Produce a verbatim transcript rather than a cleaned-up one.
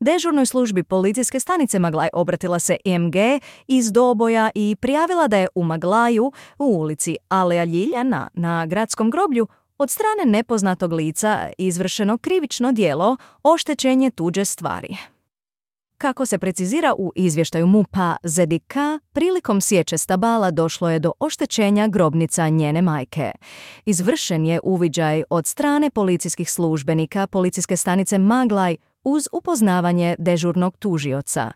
Dežurnoj službi policijske stanice Maglaj obratila se E M G iz Doboja i prijavila da je u Maglaju u ulici Aleja Ljiljana na gradskom groblju od strane nepoznatog lica izvršeno krivično djelo oštećenje tuđe stvari. Kako se precizira u izvještaju M U P-a Z D K, prilikom sječe stabala došlo je do oštećenja grobnica njene majke. Izvršen je uviđaj od strane policijskih službenika policijske stanice Maglaj uz upoznavanje dežurnog tužioca.